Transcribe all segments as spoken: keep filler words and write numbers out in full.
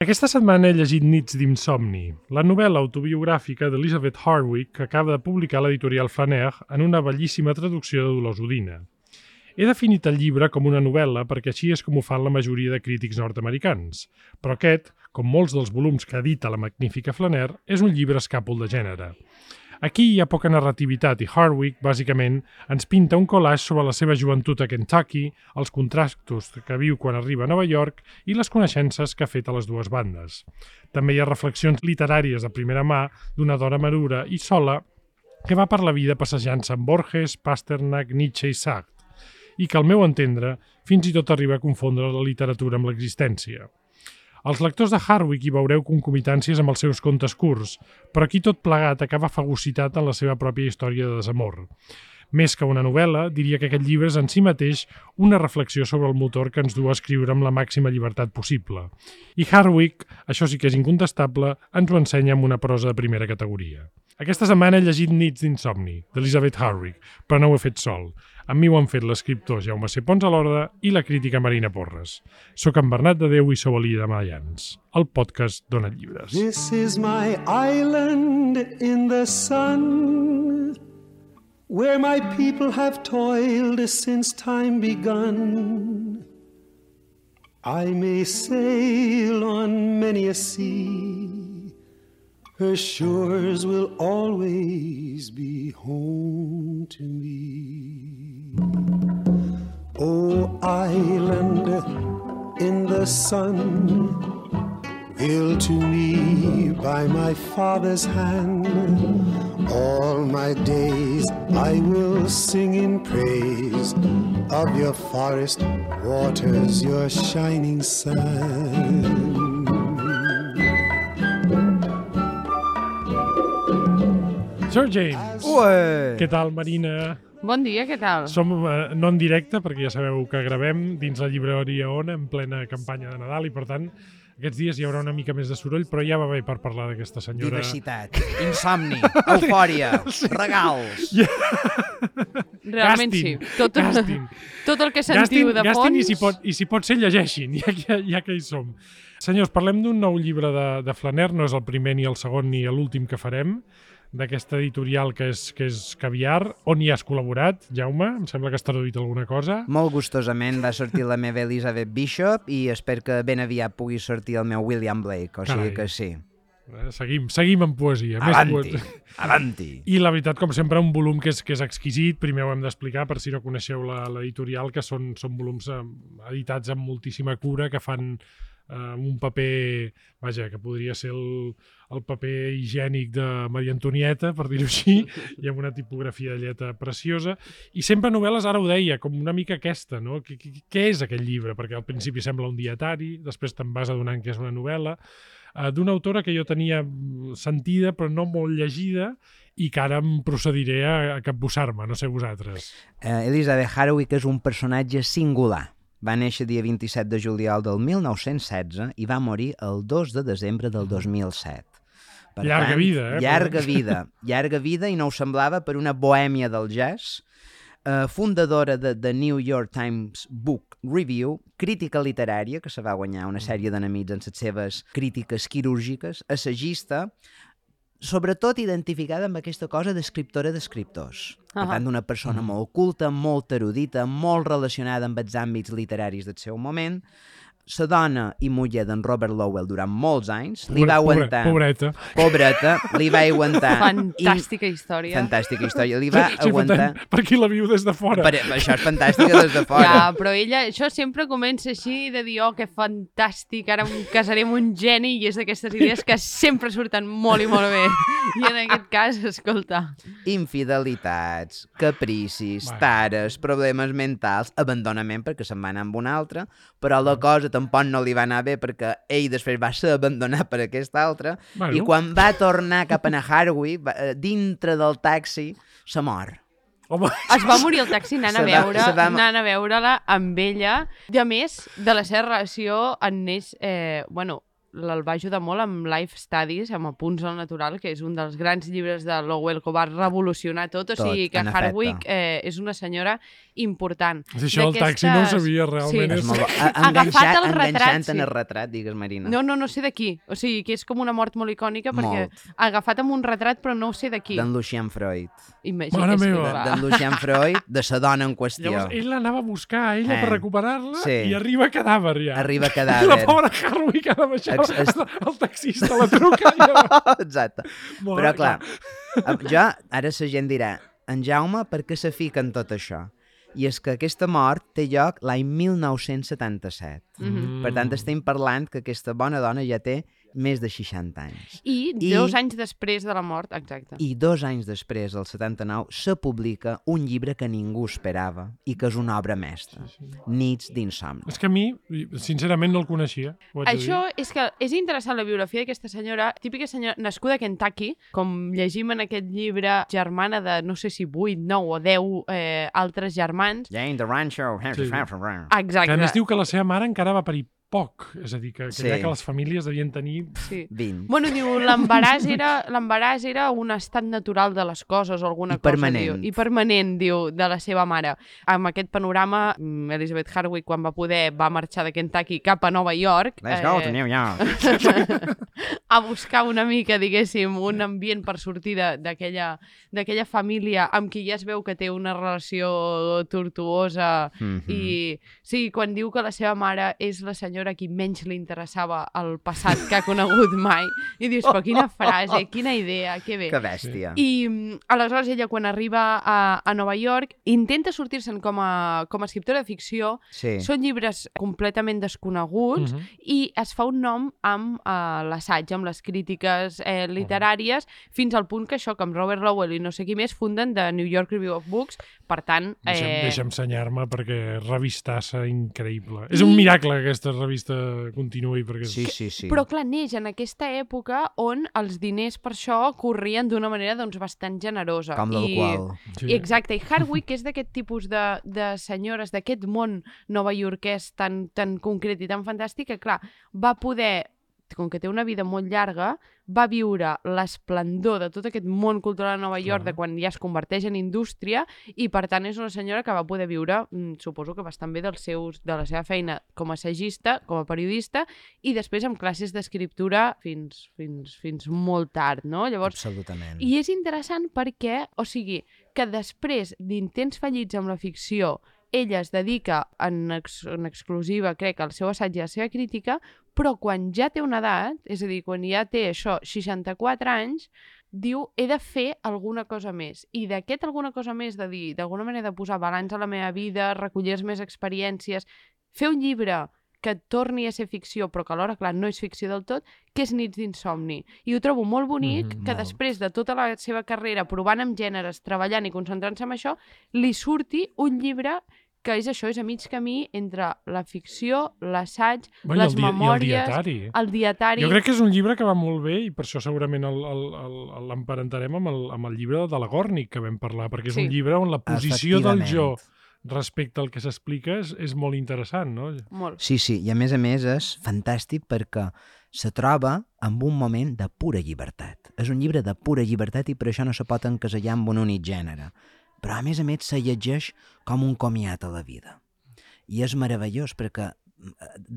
Aquesta setmana he llegit Nits d'insomni, la novel·la autobiogràfica d'Elizabeth Hardwick que acaba de publicar l'editorial Flaner en una bellíssima traducció de Dolors Udina. He definit el llibre com una novel·la perquè així és com ho fan la majoria de crítics nord-americans, però aquest, com molts dels volums que edita la magnífica Flaner, és un llibre escàpol de gènere. Aquí hi ha poca narrativitat i Hardwick, bàsicament, ens pinta un collage sobre la seva joventut a Kentucky, els contrastos que viu quan arriba a Nova York i les coneixences que ha fet a les dues bandes. També hi ha reflexions literàries de primera mà d'una dona madura i sola que va per la vida passejant-se amb Borges, Pasternak, Nietzsche i Sartre, i que, al meu entendre, fins i tot arriba a confondre la literatura amb l'existència. Els lectors de Hardwick hi veureu concomitàncies amb els seus contes curts, però aquí tot plegat acaba fagocitat en la seva pròpia història de desamor. Més que una novel·la, diria que aquest llibre és en si mateix una reflexió sobre el motor que ens du a escriure amb la màxima llibertat possible. I Hardwick, això sí que és incontestable, ens ho ensenya amb una prosa de primera categoria. Aquesta setmana he llegit Nits d'insomni, d'Elizabeth Hardwick, però no ho he fet sol. Amb mi ho han fet l'escriptor Jaume C. Pons a l'Orda i la crítica Marina Porres. Soc en Bernat de Déu i sou a l'Illa de Mallans, el podcast d'Ona Llibres. This is my island in the sun, where my people have toiled since time begun. I may sail on many a sea, her shores will always be home to me. Oh, island in the sun, built to me by my father's hand, all my days I will sing in praise of your forest waters, your shining sun. Sir James, Ué. Què tal, Marina? Bon dia, què tal? Som eh, no en directe, perquè ja sabeu que gravem dins la llibreria Ona en plena campanya de Nadal i, per tant, aquests dies hi haurà una mica més de soroll, però ja va bé per parlar d'aquesta senyora... Diversitat, insomni, eufòria, regals... Realment Gastin, sí. Tot, gastin. tot el que sentiu Gastin, de fons... gastin i si pot, i si pot ser, llegeixin, ja que, ja que hi som. Senyors, parlem d'un nou llibre de, de Flaner, no és el primer ni el segon ni l'últim que farem, d'aquesta editorial que és, que és Caviar. On hi has col·laborat, Jaume? Em sembla que has traduït alguna cosa. Molt gustosament va sortir la meva Elizabeth Bishop i espero que ben aviat pugui sortir el meu William Blake, o sigui Carai. que sí. Eh, Seguim, seguim amb poesia. Més Avanti, poesia. avanti. I la veritat, com sempre, un volum que és, que és exquisit. Primer ho hem d'explicar, per si no coneixeu la- l'editorial, que són, són volums eh, editats amb moltíssima cura, que fan eh, un paper, vaja, que podria ser el, el paper higiènic de Maria Antonieta, per dir-ho així, i amb una tipografia de lletra preciosa. I sempre novel·les, ara ho deia, com una mica aquesta, no? Què, què, què és aquest llibre? Perquè al principi sembla un dietari, després te'n vas adonant que és una novel·la, eh, d'una autora que jo tenia sentida però no molt llegida i que ara em procediré a, a capbussar-me, no sé vosaltres. Uh, Elizabeth Hardwick és un personatge singular. Va néixer dia vint-i-set de juliol del mil nou-cents setze i va morir el dos de desembre del dos mil set. Per Llarga tant, vida, eh? Llarga vida, llarga vida, i no ho semblava, per una bohèmia del jazz, eh, fundadora de The New York Times Book Review, crítica literària, que se va guanyar una sèrie d'enemics en les seves crítiques quirúrgiques, assagista, sobretot identificada amb aquesta cosa d'escriptora d'escriptors. Per Uh-huh. tant, una persona molt culta, molt erudita, molt relacionada amb els àmbits literaris del seu moment. La dona i muller d'en Robert Lowell durant molts anys li va Pobre- aguantar... Pobreta. Pobreta, li va aguantar... Fantàstica història. Fantàstica història. Li va Sí, aguantar... per, per qui la viu des de fora. Per, això és fantàstica des de fora. Ja, però ella, això sempre comença així de dir, oh, que fantàstic, ara em casaré amb un geni, i és d'aquestes idees que sempre surten molt i molt bé. I en aquest cas, escolta... Infidelitats, capricis, Bueno. tares, problemes mentals, abandonament perquè se'n va anar amb un altre, però la cosa tampoc no li va anar bé perquè ell després va ser abandonat per aquest altre, Bueno. i quan va tornar cap a Hardwick, va- eh, dintre del taxi, se mor. Home, Es va morir el taxi anant a Se va- veure, se va- anant a veure-la amb ella. I a més, de la seva relació en neix, eh, bueno, el va ajudar molt amb Life Studies, amb Apunts al Natural, que és un dels grans llibres de Lowell que ho va revolucionar tot, o Tot, sigui que en Hardwick efecte. eh, és una senyora important. Això del taxi no ho sabia, realment. És És... molt bo. A- Agafat enganxat- el retrat, Enganxant sí. en el retrat, digues, Marina. No, no, no sé de qui. O sigui, que és com una mort molt icònica perquè Molt. agafat amb un retrat, però no ho sé de qui. D'en Lucien Freud. Imagina, Mare és que meva. clar. D'en Lucien Freud, de sa dona en qüestió. Llavors, ell l'anava a buscar a ella Eh. per recuperar-la Sí. i arriba cadàver ja. Arriba I la cadàver. pobra Hardwick ha de baixar. Ex- es- El taxista la truca. I llavors... Exacte. Molt Però bé, clar, jo, ara la gent dirà, en Jaume, per què se fica en tot això? I és que aquesta mort té lloc l'any mil nou-cents setanta-set. Mhm. Per tant, estem parlant que aquesta bona dona ja té més de seixanta anys. I, I- dos anys després de la mort, exacte. I dos anys després, el setanta-nou, se publica un llibre que ningú esperava i que és una obra mestra, Nits d'insomni. És que a mi, sincerament, no el coneixia. Ho haig de Això dir. és que és interessant la biografia d'aquesta senyora, típica senyora nascuda a Kentucky, com llegim en aquest llibre, germana de no sé si vuit, nou o deu eh, altres germans. Jane the Rancho. Sí. Exacte. Que a més diu que la seva mare encara va parir poc. És a dir, que, que Sí. ja que les famílies devien tenir... Sí. vint. Bueno, diu, l'embaràs era, l'embaràs era un estat natural de les coses o alguna I cosa. permanent. Diu, I permanent, diu, de la seva mare. Amb aquest panorama, mm, Elizabeth Hardwick, quan va poder, va marxar de Kentucky cap a Nova York. Let's go to New York. a buscar una mica, diguéssim, un ambient per sortir de- d'aquella d'aquella família amb qui ja es veu que té una relació tortuosa. Mhm. I sí, quan diu que la seva mare és la senyora a qui menys li interessava el passat que ha conegut mai, i dius, però quina frase, quina idea, que bé. Que bèstia. I mm, aleshores ella, quan arriba a, a Nova York, intenta sortir-se'n com a, com a escriptora de ficció. Sí. Són llibres completament desconeguts Mhm. i es fa un nom amb eh, l'assaig, amb les crítiques eh, literàries, fins al punt que això, que amb Robert Lowell i no sé qui més, funden The New York Review of Books. Per tant... Deixa'm, Eh... deixa'm senyar-me perquè revistassa increïble. És un miracle que aquesta revista continuï perquè... és- Sí, sí, sí. Però clar, neix en aquesta època on els diners per això corrien d'una manera doncs, bastant generosa. Com l'alcohol. Sí. I, exacte, i Hardwick és d'aquest tipus de, de senyores, d'aquest món novaiorquès tan, tan concret i tan fantàstic que, clar, va poder, com que té una vida molt llarga, va viure l'esplendor de tot aquest món cultural a Nova York, Clar. de quan ja es converteix en indústria, i per tant és una senyora que va poder viure, mm, suposo que bastant bé dels seus, de la seva feina com a assagista, com a periodista, i després amb classes d'escriptura fins, fins, fins molt tard, no? Llavors, Absolutament. i és interessant perquè, o sigui, que després d'intents fallits amb la ficció, ella es dedica en, ex, en exclusiva, crec, al seu assaig i a la seva crítica, però quan ja té una edat, és a dir, quan ja té això, seixanta-quatre anys, diu, he de fer alguna cosa més. I d'aquest alguna cosa més, de dir, d'alguna manera de posar balanç a la meva vida, recollir les meves experiències, fer un llibre que torni a ser ficció, però que alhora, clar, no és ficció del tot, que és Nits d'insomni. I ho trobo molt bonic Mhm, que molt. després de tota la seva carrera provant amb gèneres, treballant i concentrant-se en això, li surti un llibre que és això, és a mig camí entre la ficció, l'assaig, Bueno, i les el di- i el memòries, dietari. el dietari... Jo crec que és un llibre que va molt bé i per això segurament el- el- el- l'emparentarem amb, el, amb el llibre de la Gòrnic que vam parlar, perquè és Sí. un llibre on la posició del Efectivament. jo respecte al que s'explica és, és molt interessant, no? Molt. Sí, sí, i a més a més és fantàstic perquè se troba en un moment de pura llibertat. És un llibre de pura llibertat i per això no se pot encasellar amb un únic gènere. Però a més a més se llegeix com un comiat a la vida. I és meravellós perquè de,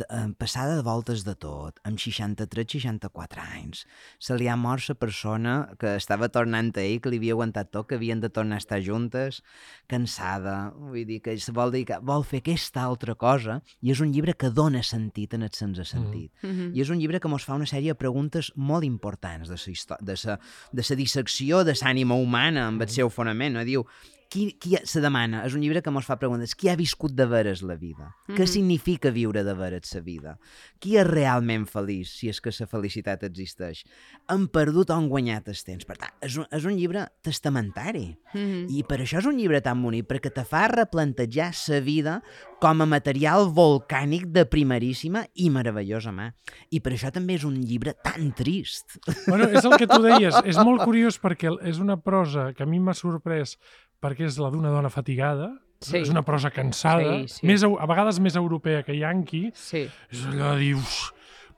de, passada de voltes de tot, amb seixanta-tres seixanta-quatre anys, se li ha mort la persona que estava tornant a ell, que li havia aguantat tot, que havien de tornar a estar juntes, cansada, vull dir que se vol dedicar, vol fer aquesta altra cosa, i és un llibre que dona sentit en el sense sentit. Mm -hmm. I és un llibre que mos fa una sèrie de preguntes molt importants de sa, histò- de sa, de sa dissecció de l'ànima humana amb el seu fonament. No? Diu, qui, qui se demana, és un llibre que mos fa preguntes, qui ha viscut de veres la vida? Mm -hmm. Què significa viure de veres la vida? Qui és realment feliç, si és que la felicitat existeix? Han perdut o han guanyat el temps? Per tant, és un, és un llibre testamentari. Mm -hmm. I per això és un llibre tan bonic, perquè te fa replantejar la vida com a material volcànic de primeríssima i meravellosa mà. I per això també és un llibre tan trist. Bueno, és el que tu deies, és molt curiós perquè és una prosa que a mi m'ha sorprès perquè és la d'una dona fatigada, Sí. és una prosa cansada, Sí, sí. Més, eu- a vegades més europea que yanqui, Sí. és allò de dir, "Uf,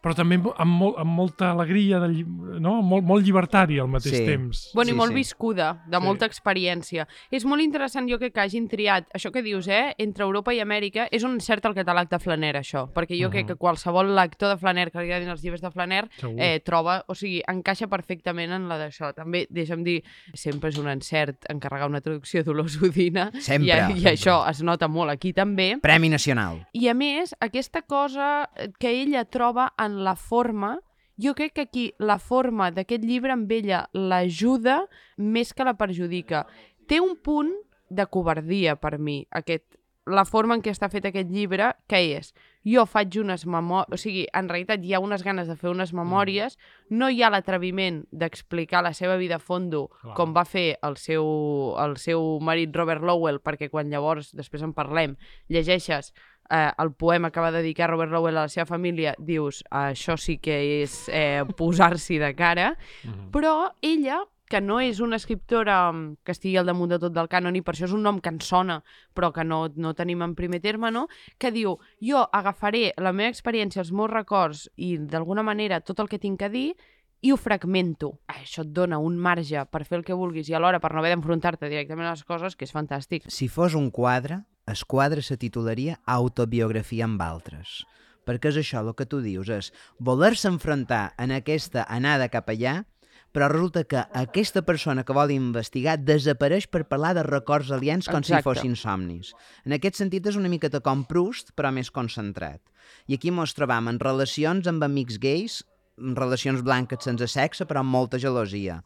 però també amb, molt, amb molta alegria, de, lli- no? molt, molt llibertari al mateix Sí. temps. Bueno, Sí, i molt sí. viscuda, de Sí. molta experiència. És molt interessant, jo crec que hagin triat, això que dius, eh, entre Europa i Amèrica, és un cert el catàleg de Flaner, això, perquè jo Mhm. crec que qualsevol lector de Flaner que li agradin els llibres de Flaner Segur. eh, troba, o sigui, encaixa perfectament en la d'això. També, deixa'm dir, sempre és un encert encarregar una traducció d'Olors Udina, Sempre. i, i això es nota molt aquí també. Premi Nacional. I a més, aquesta cosa que ella troba en la forma, jo crec que aquí la forma d'aquest llibre amb ella l'ajuda més que la perjudica. Té un punt de covardia per mi, aquest, la forma en què està fet aquest llibre, que és, jo faig unes memòries, o sigui, en realitat hi ha unes ganes de fer unes memòries, no hi ha l'atreviment d'explicar la seva vida a fondo, Clar. com va fer el seu, el seu marit Robert Lowell, perquè quan llavors, després en parlem, llegeixes eh, el poema que va dedicar Robert Lowell a la seva família, dius, això sí que és eh, posar-s'hi de cara, Mhm. però ella, que no és una escriptora mm, que estigui al damunt de tot del cànon, i per això és un nom que ens sona, però que no, no tenim en primer terme, no? Que diu, jo agafaré la meva experiència, els meus records i, d'alguna manera, tot el que tinc a dir, i ho fragmento. Això et dona un marge per fer el que vulguis i alhora per no haver d'enfrontar-te directament a les coses, que és fantàstic. Si fos un quadre, el quadre se titularia Autobiografia amb altres. Perquè és això, el que tu dius, és voler-se enfrontar en aquesta anada cap allà, però resulta que aquesta persona que vol investigar desapareix per parlar de records aliens com Exacte. si fossin somnis. En aquest sentit és una miqueta com Proust, però més concentrat. I aquí mos trobam en relacions amb amics gais, en relacions blanques sense sexe, però amb molta gelosia.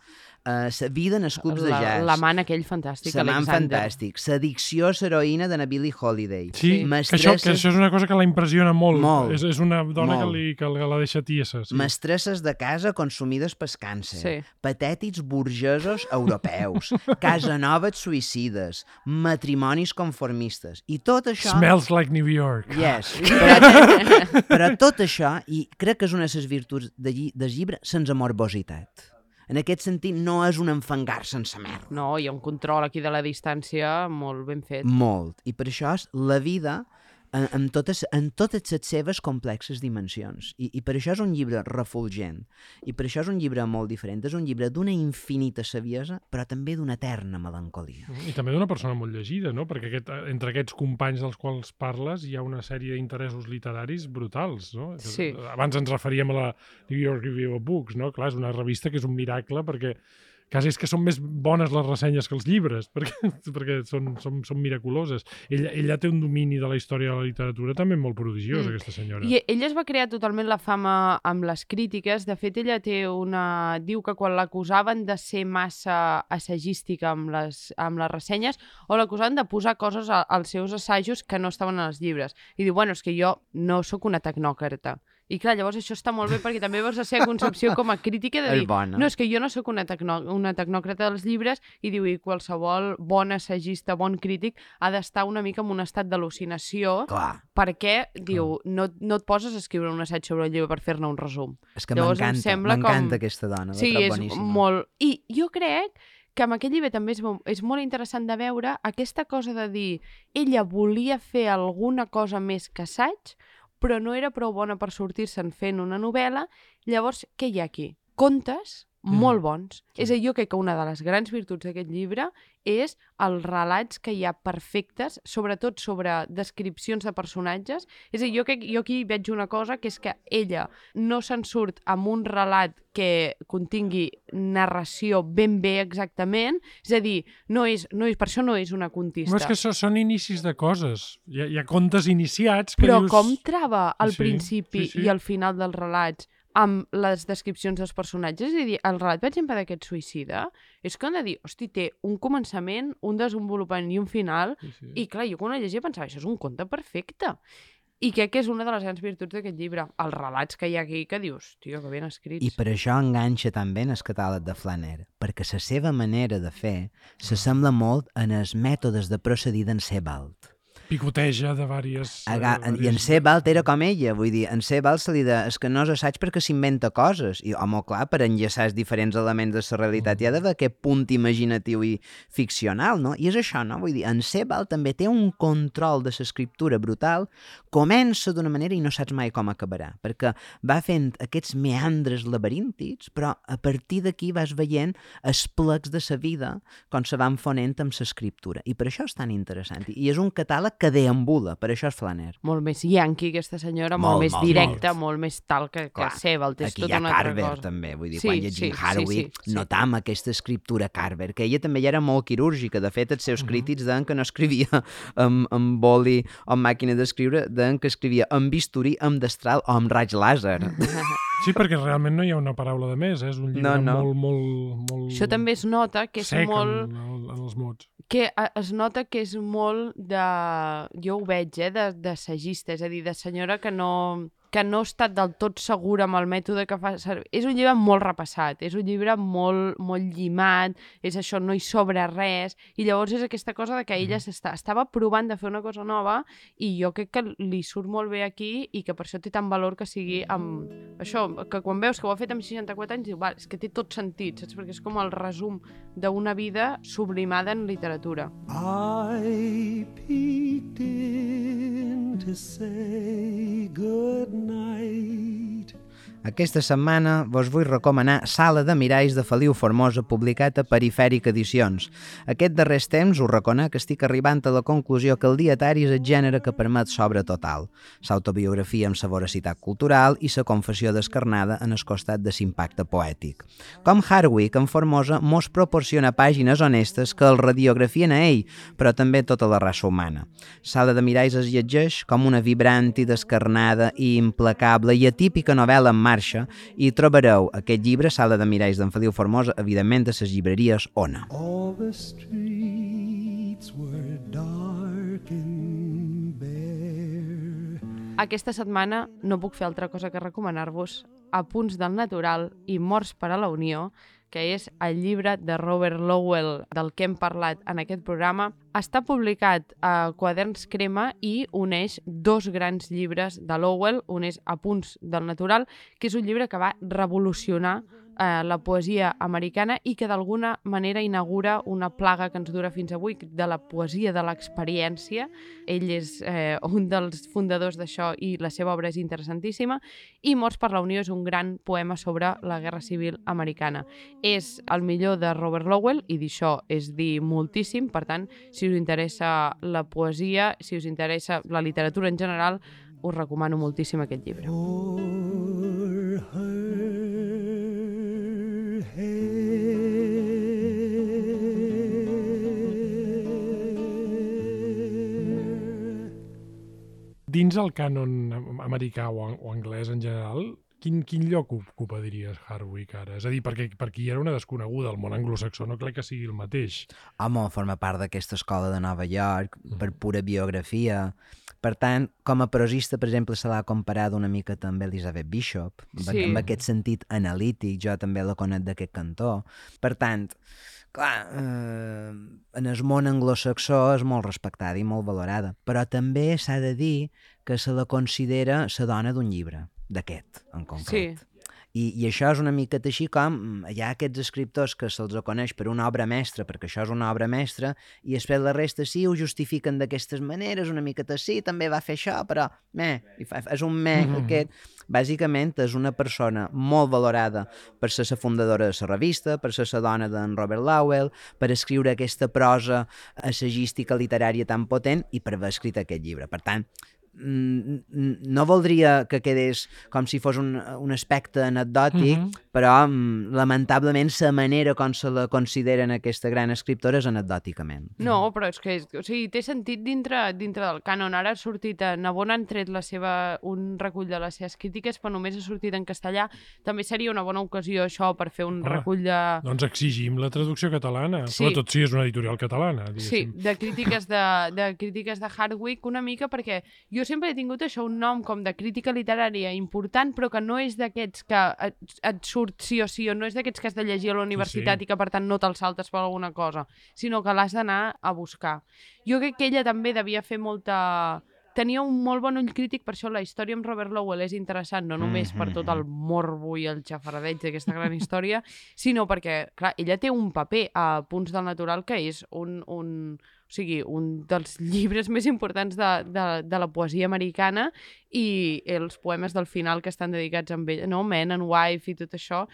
Uh, sa vida en els clubs de La- jazz. L'amant aquell fantàstic, L'amant Alexander. fantàstic. L'addicció a l'heroïna de la Billie Holiday. Sí, que Mestresses- això, que això és una cosa que la impressiona molt. Molt. És, és una dona Molt. que, li, que la deixa tiesa. Sí. Mestresses de casa consumides pel càncer, Sí. patètics burgesos europeus, casanovas suïcides, matrimonis conformistes, i tot això... Smells like New York. Yes, però, però tot això, i crec que és una de les virtuts de lli del llibre, sense morbositat. En aquest sentit, no és un enfangar sense merda. No, hi ha un control aquí de la distància molt ben fet. Molt. I per això és la vida en, en, totes, en totes les seves complexes dimensions. I, I per això és un llibre refulgent. I per això és un llibre molt diferent. És un llibre d'una infinita saviesa, però també d'una eterna melancolia. I també d'una persona molt llegida, no? Perquè aquest, entre aquests companys dels quals parles hi ha una sèrie d'interessos literaris brutals, no? Sí. Abans ens referíem a la New York Review of Books, no? Clar, és una revista que és un miracle perquè quasi és que són més bones les ressenyes que els llibres, perquè, perquè són, són, són miraculoses. Ella, ella té un domini de la història de la literatura també molt prodigiós, Mm. aquesta senyora. I ella es va crear totalment la fama amb les crítiques. De fet, ella té una... diu que quan l'acusaven de ser massa assagística amb les, amb les ressenyes, o l'acusaven de posar coses a, als seus assajos que no estaven als llibres. I diu, bueno, és que jo no sóc una tecnòcrata. I clar, llavors això està molt bé perquè també veus la seva concepció com a crítica de És dir, bona. no, és que jo no sóc una, tecno, una tecnòcrata dels llibres, i diu, i qualsevol bon assagista, bon crític, ha d'estar una mica en un estat d'al·lucinació, Clar, perquè, diu, no, no et poses a escriure un assaig sobre el llibre per fer-ne un resum. és que Llavors em m'encanta, sembla m'encanta com- aquesta dona, la Sí, trobo és boníssima. molt... I jo crec que amb aquest llibre també és, mo- és molt interessant de veure aquesta cosa de dir, ella volia fer alguna cosa més que assaig, però no era prou bona per sortir-se'n fent una novel·la. Llavors, què hi ha aquí? Contes Mm. molt bons. Sí. És a dir, jo crec que una de les grans virtuts d'aquest llibre és els relats que hi ha perfectes, sobretot sobre descripcions de personatges. És a dir, jo, crec, jo aquí veig una cosa, que és que ella no se'n surt amb un relat que contingui narració ben bé exactament, és a dir, no és, no és, per això no és una contista. No, és que això són inicis de coses. Hi ha, hi ha contes iniciats que Però dius... com trava al Sí, principi sí, sí. i al final dels relats amb les descripcions dels personatges? És a dir, el relat, per exemple, d'aquest suïcida, és que han de dir, hosti, té un començament, un desenvolupament i un final, Sí, sí. i clar, jo quan ho llegia pensava, això és un conte perfecte. I crec que és una de les grans virtuts d'aquest llibre, els relats que hi ha aquí, que dius, tio, que ben escrits. I per això enganxa també en el catàleg de Flaner, perquè la seva manera de fer s'assembla molt en els mètodes de procedir d'en Sebald. Picoteja de vàries... Aga, uh, I en Sebald era com ella, vull dir, en Sebald se li de, és que no és assaig perquè s'inventa coses, i home, clar, per enllaçar els diferents elements de la realitat hi ha d'haver aquest punt imaginatiu i ficcional, no? I és això, no? Vull dir, en Sebald també té un control de l'escriptura brutal, comença d'una manera i no saps mai com acabarà, perquè va fent aquests meandres laberíntics, però a partir d'aquí vas veient els plecs de sa vida com se van fonent amb l'escriptura, i per això és tan interessant, i és un catàleg que deambula, per això és Flaner. Molt més yankee, aquesta senyora, molt, Molt, més molt, directa, molt. molt més tal que, que Clar, Sebald, és aquí tota hi ha una altra Carver cosa. també, vull dir, Sí, quan llegim sí, sí, Harwick sí, sí. notam aquesta escriptura Carver, que ella també ja era molt quirúrgica, de fet els seus crítics deien que no escrivia amb, amb boli o amb màquina d'escriure, deien que escrivia amb bisturí, amb destral o amb raig làser. Sí, perquè realment no hi ha una paraula de més, eh? És un llibre No, no. molt, molt, molt... Això també es nota que és sec molt... en, en, en els mots. que eh, es nota que és molt de... Jo ho veig, eh, de, de sagista, és a dir, de senyora que no, que no ha estat del tot segura amb el mètode que fa servir. És un llibre molt repassat, és un llibre molt, molt llimat, és això, no hi sobra res, i llavors és aquesta cosa de que ella s'està, estava provant de fer una cosa nova, i jo crec que li surt molt bé aquí, i que per això té tant valor que sigui amb... Això, que quan veus que ho ha fet amb seixanta-quatre anys, diu, va, és que té tot sentit, saps? Perquè és com el resum d'una vida sublimada en literatura. I peeked in to say good night. Aquesta setmana vos vull recomanar Sala de miralls de Feliu Formosa, publicat a Perifèric Edicions. Aquest darrers temps us reconec que estic arribant a la conclusió que el dietari és el gènere que permet s'obra total, l'autobiografia amb sa voracitat cultural i sa confessió descarnada en el costat de l'impacte poètic. Com Harwick, en Formosa mos proporciona pàgines honestes que el radiografien a ell, però també tota la raça humana. Sala de miralls es llegeix com una vibrant i descarnada i implacable i atípica novel·la en marxa, i trobareu aquest llibre, Sala de miralls d'en Feliu Formosa, evidentment a les llibreries Ona. All the streets were dark and bare. Aquesta setmana no puc fer altra cosa que recomanar-vos Apunts del Natural i Morts per a la Unió, que és el llibre de Robert Lowell del que hem parlat en aquest programa. Està publicat a Quaderns Crema i uneix dos grans llibres de Lowell. Un és Apunts del Natural, que és un llibre que va revolucionar eh, la poesia americana i que d'alguna manera inaugura una plaga que ens dura fins avui, de la poesia de l'experiència. Ell és eh, un dels fundadors d'això i la seva obra és interessantíssima. I Morts per la Unió és un gran poema sobre la Guerra Civil americana. És el millor de Robert Lowell i d'això és dir moltíssim. Per tant, si us interessa la poesia, si us interessa la literatura en general, us recomano moltíssim aquest llibre. O'er her head. Dins el cànon americà o, o anglès en general, quin, quin lloc ocupa, diries, Harwick ara? És a dir, perquè per qui era una desconeguda, el món anglosaxó no crec que sigui el mateix. Home, forma part d'aquesta escola de Nova York, per pura biografia. Per tant, com a prosista, per exemple, se l'ha comparat una mica també Elizabeth Bishop, Sí. amb aquest sentit analític, jo també la conec d'aquest cantó. Per tant, clar, eh, en el món anglosaxó és molt respectada i molt valorada, però també s'ha de dir que se la considera la dona d'un llibre, d'aquest, en concret. Sí. I, I això és una miqueta així com hi ha aquests escriptors que se'ls coneix per una obra mestra, perquè això és una obra mestra, i després la resta sí ho justifiquen d'aquestes maneres, una miqueta sí, també va fer això, però meh, i fa, és un meh, mm-hmm. aquest. Bàsicament és una persona molt valorada per ser la fundadora de la revista, per ser la dona d'en Robert Lowell, per escriure aquesta prosa assagística literària tan potent i per haver escrit aquest llibre. Per tant, no voldria que quedés com si fos un, un aspecte anecdòtic, mm-hmm. però lamentablement la manera com se la consideren aquesta gran escriptora és anecdòticament. No, però és que és, o sigui, té sentit dintre, dintre del cànon. Ara ha sortit a Navona, han tret la seva, un recull de les seves crítiques, però només ha sortit en castellà. També seria una bona ocasió això per fer un Ah, recull de... Doncs exigim la traducció catalana, Sí. sobretot si és una editorial catalana. Sí, diguéssim. de crítiques de, de crítiques de Hardwick una mica, perquè jo sempre he tingut això, un nom com de crítica literària important, però que no és d'aquests que et, et surt sí o sí, o no és d'aquests que has de llegir a la universitat Sí, sí. i que per tant no te'l saltes per alguna cosa, sinó que l'has d'anar a buscar. Jo crec que ella també devia fer molta... Tenia un molt bon ull crític, per això la història amb Robert Lowell és interessant, no només per tot el morbo i el xafardeig d'aquesta gran història, sinó perquè, clar, ella té un paper a Punts del Natural que és un, un, o sigui, un dels llibres més importants de, de, de la poesia americana, i els poemes del final que estan dedicats a ella, no? Man and Wife i tot això,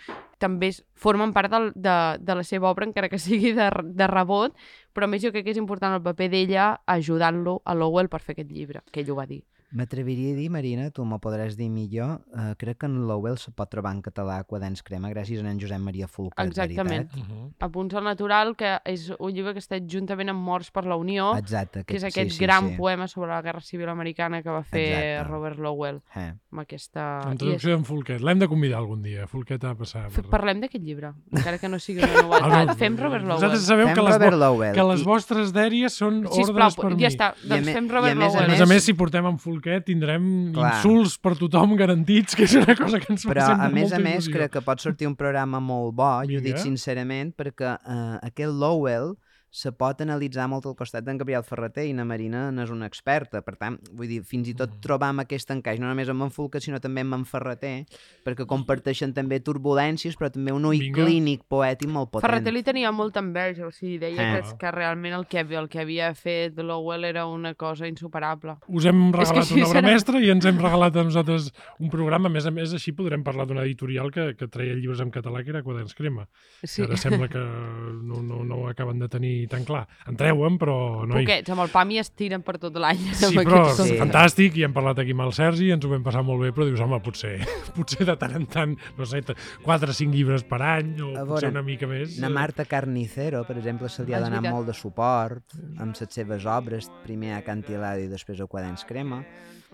també es- formen part del, de, de la seva obra, encara que sigui de, de rebot, però a més jo crec que és important el paper d'ella ajudant-lo a Lowell per fer aquest llibre, que ell ho va dir. M'atreviria a dir, Marina, tu m'ho podràs dir millor, eh, crec que en Lowell se pot trobar en català Quaderns Crema gràcies a en Josep Maria Folquet, Exactament. veritat? Uh -huh. A Punts al Natural, que és un llibre que està juntament amb Morts per la Unió, Exacte. que és sí, aquest sí, gran sí. poema sobre la Guerra Civil Americana que va fer Exacte. Robert Lowell, Eh. amb aquesta... En i és- traducció d'en Folquet. L'hem de convidar algun dia. Folquet ha de passar. F- Per... Parlem d'aquest llibre, encara que no sigui una novetat. Ah, no, Fem Robert Lowell. Vosaltres sabeu Fem que les, Robert vo Lowell. que les I- vostres dèries són Sisplau, ordres per mi. ja està. I a Doncs me- fem i a Robert més a A Lowell. més a més, si portem en Folquet, tindrem Clar. insults per tothom garantits, que és una cosa que ens fa Però, sempre a més molta a més, il·lusió. crec que pot sortir un programa molt bo, i ho dic Vinga. sincerament, perquè eh, aquest Lowell se pot analitzar molt al costat d'en Gabriel Ferreter, i na Marina n'és una experta. Per tant, vull dir, fins i tot Mm. trobam aquest encaix, no només amb en Folquet, sinó també amb en Ferreter, perquè comparteixen també turbulències, però també un ull Vinga. clínic poètic molt potent. Ferreter li tenia molta enveja, o sigui, deia Eh. que, que realment el que, el que havia fet Lowell era una cosa insuperable. Us hem És que regalat sí, una obra serà- mestra i ens hem regalat a nosaltres un programa. A més a més, així podrem parlar d'una editorial que, que treia llibres en català, que era Quaderns Crema. Sí. Ara sembla que no, no, no ho acaben de tenir tan clar. En treuen, però no hi... Poquets, amb el P A M i es tiren per tot l'any. Sí, amb però aquests Sí. sí. fantàstic, i hem parlat aquí amb el Sergi, ens ho vam passar molt bé, però dius, home, potser, potser de tant en tant, no sé, quatre o cinc llibres per any, o A potser veure, una mica més. Na Marta Carnicero, per exemple, se li ha Ah, és donat veritat. molt de suport amb les seves obres, primer a Cantilado i després a Quaderns Crema.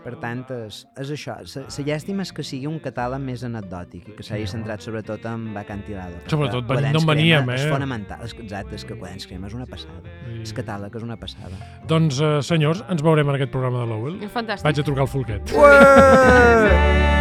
Per tant, és, és això. La llàstima és que sigui un catàleg més anecdòtic i que s'hagi centrat sobretot en Acantilado. Sobretot perquè venint d'on Quaderns veníem, Crema eh? És fonamental. És, exacte, és que Quaderns Crema és una passada. I... El catàleg és una passada. Doncs, eh, senyors, ens veurem en aquest programa de Lowell. Fantàstic. Vaig a trucar al Folquet. Ué!